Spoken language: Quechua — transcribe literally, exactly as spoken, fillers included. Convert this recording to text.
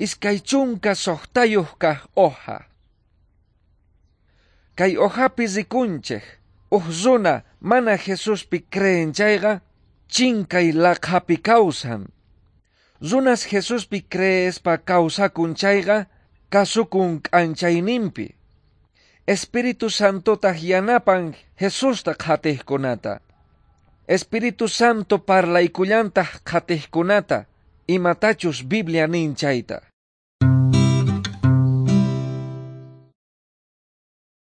Iskay chunka suqtayuq kaq hoja. Kay hojapi rikunchik uj runa mana Jesuspi creen chayqa chinkay laqhapi kawsan. Runas Jesuspi creespa kawsakun chayqa kasukun k'anchayninpi. Espíritu Santotaq yanapan Jesusta qhatiqkunata. Espíritu Santo parlaykullantaq qhatiqkunata imatachus Biblia nin chayta.